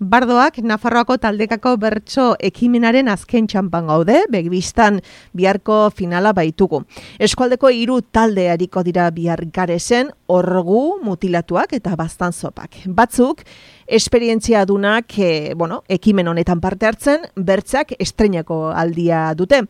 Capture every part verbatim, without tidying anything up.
Bardoak Nafarroako taldekako bertso ekimenaren azken txanpan gaude, begibistan biharko finala baitugu. Eskualdeko hiru talde ariko dira bihar Garesen, orgu, mutilatuak eta baztanzopak. Batzuk, esperientzia dunak, e, bueno, ekimen honetan parte hartzen, bertzak estreinako aldia dute.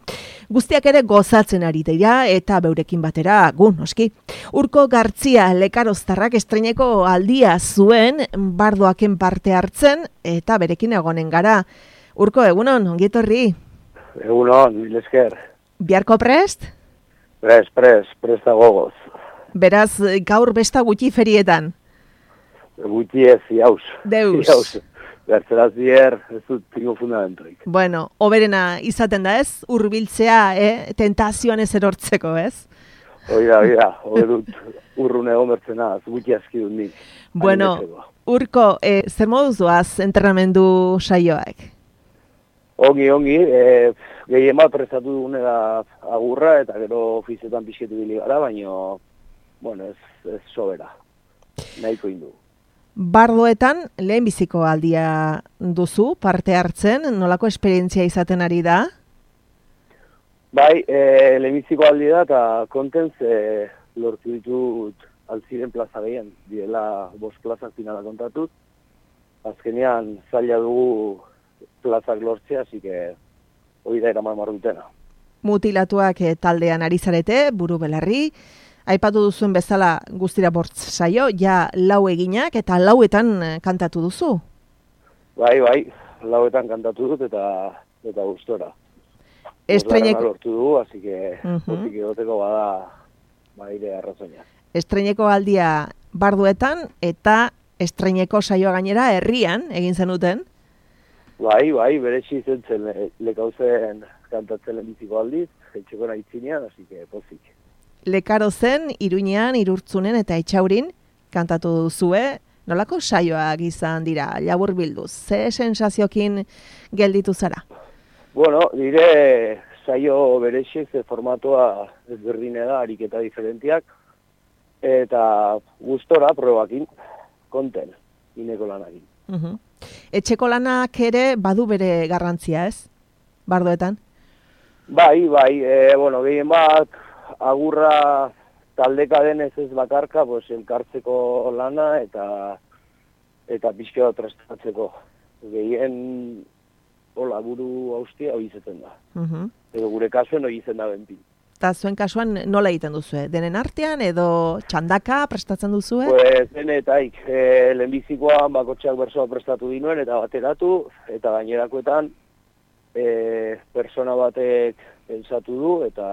Guztiak ere gozatzen ari dira eta beurekin batera gu, noski. Urko Gartzia lekaroztarrak estreineko aldia zuen Bardoaken parte hartzen eta berekin egonen gara. Urko, egunon, ongietorri? Egunon, mil esker. Biharko prest? Prest, prest, presta gogoz. Beraz, gaur besta gutxi ferietan? Gutxi ez, iauz. Deus. Iauz. Bertzeraz bier, ez dut tingo fundamentoik. Bueno, oberena izaten da ez, hurbiltzea, eh? Tentazioan ez erortzeko, ez? Oida, oida, hori dut urrun egon bertzena, gutxi aski dut nik. Bueno, Urko, eh, zer moduz doaz entrenamendu saioak? Ongi, ongi, eh, gehien bat prestatu dugune da agurra, eta gero ofizietan pixketu bili gara, baina, bueno, ez, ez sobera, nahiko indu. Bardoetan lehenbiziko aldia duzu, parte hartzen, nolako esperientzia izaten ari da? Bai, e, lehenbiziko aldia da, eta kontentz e, lortu ditut altziren plaza gehien, direla bost plazak finala kontatut. Azkenean zaila dugu plazak lortzea, hasi que hori da eraman marrutena. Mutilatuak e, taldean ari zarete, buru belarri, aipatu duzuen bezala guztira bortz saio, ja lau eginak eta lauetan kantatu duzu? Bai, bai, lauetan kantatu dut eta eta gustora. Estreineko lortu du, así que pozik egoteko bada baire arrazoina. Estreineko aldia Barduetan eta estreineko saioa gainera herrian egin zenuten? Bai, bai, berezi zentzen le, lekauzen kantatzen lehenbiziko aldiz, jetxeko nahitzinean, así que pozik. Lekarozen, Iruñean, Irurtzunen eta Etxaurin kantatu duzue, nolako saioak izan dira, labur bilduz, ze sensaziokin gelditu zara? Bueno, dire saio berexiek, ze formatoa ezberdine da, ariketa diferentiak, eta gustora probakin, konten, ineko lanakin. Uh-huh. Etxeko lanak ere badu bere garrantzia, ez? Bardoetan? Bai, bai, e, bueno, gehien bat, agurra taldeka denez ez bakarka, pues, elkartzeko lana eta eta pixka bat prestatzeko. Gehien hola buru haustia hori izaten da. Uh-huh. Edo gure kasuen hori izen da bentin. Eta zuen kasuan nola egiten duzue? Denen artean edo txandaka prestatzen duzue? Pues, denetaik, e, lehenbizikoan bakotxeak bersoa prestatu dinuen eta bateratu, eta gainerakoetan e, persona batek pensatu du eta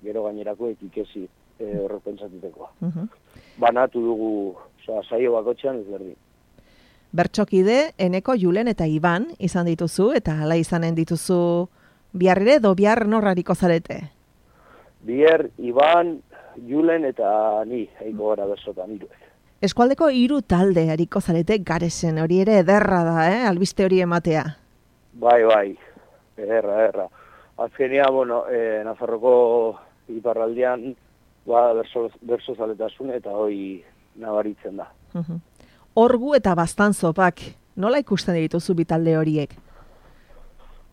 gero gainerakoek ikesi e, horrek pentsatuteko. Uh-huh. Banatu dugu, oza, saio bakotxean ez berdin. Bertxokide, Eneko, Julen eta Iban izan dituzu, eta hala izanen dituzu biarrire edo bihar norrariko zarete? Biar, Iban, Julen eta ni, eiko gara bersotan, iruek. Eskualdeko hiru talde hariko zarete Garesen, hori ere ederra da, eh? Albiste hori ematea. Bai, bai, ederra, ederra. Azkenia, bueno, eh, Nafarroko iparraldean ba, berso, berso zaletasun eta hoi nabaritzen da. Uh-huh. Orgu eta baztanzopak, nola ikusten dituzu bi talde horiek?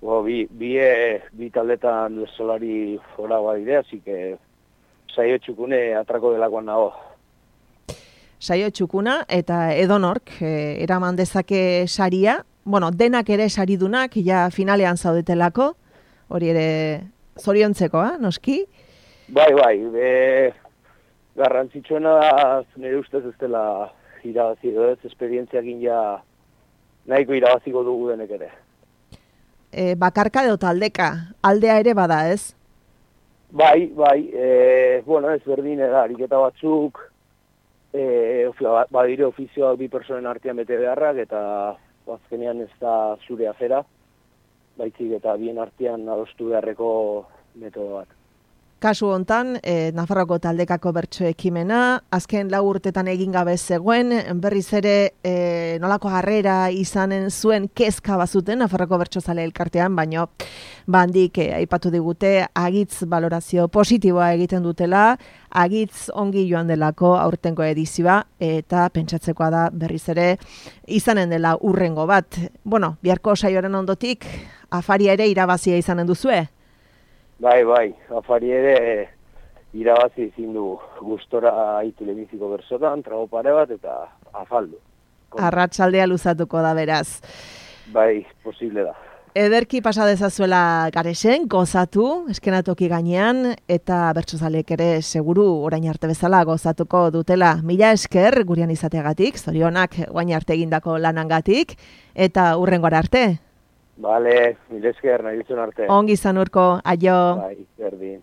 Bo, bi, bi, bi taldetan bersolari fora badire, hasi que saio txukune atrako delakoan nago. Saio txukuna eta edonork eh, eraman dezake saria, bueno, denak ere saridunak, ja finalean zaudetelako, hori ere zoriontzekoa, noski? Bai, bai, e, garrantzitsuena da, nire ustez ez dela irabazi edo ez, esperientziakin ja nahiko irabaziko dugu denek ere. E, bakarka edo taldeka, aldea ere bada ez? Bai, bai, e, bueno, ez berdine da, ariketa batzuk, e, badire ofizioak bi personen artean bete beharrak, eta azkenean ez da zure afera, baitzik eta bien artean adostu beharreko metodo bat. kasu hontan, e, Nafarroko taldekako bertso ekimena, azken lau urtetan egin gabe zegoen, berriz ere e, nolako harrera izanen zuen kezka bazuten Nafarroko bertsozale elkartean, baino bandik e, aipatu digute agitz valorazio positiboa egiten dutela, agitz ongi joan delako aurtengo edizioa, eta pentsatzekoa da berriz ere izanen dela urrengo bat. Bueno, biharko saioaren ondotik, afaria ere irabazia izanen duzue? Bai, bai, afari ere irabazi ezin du gustora telebiziko bersotan, trago pare bat eta afaldu. Arratsaldea luzatuko da beraz. Bai, posible da. Ederki pasa dezazuela Garesen, gozatu, eskenatoki gainean, eta bertsozaleek ere seguru orain arte bezala gozatuko dutela. Mila esker gurean izateagatik, zorionak guain arte egindako lanangatik, eta hurrengora arte. Bale, mila esker, nahi ditzun arte. Ongi izan Urko, aio. Bai, berdin.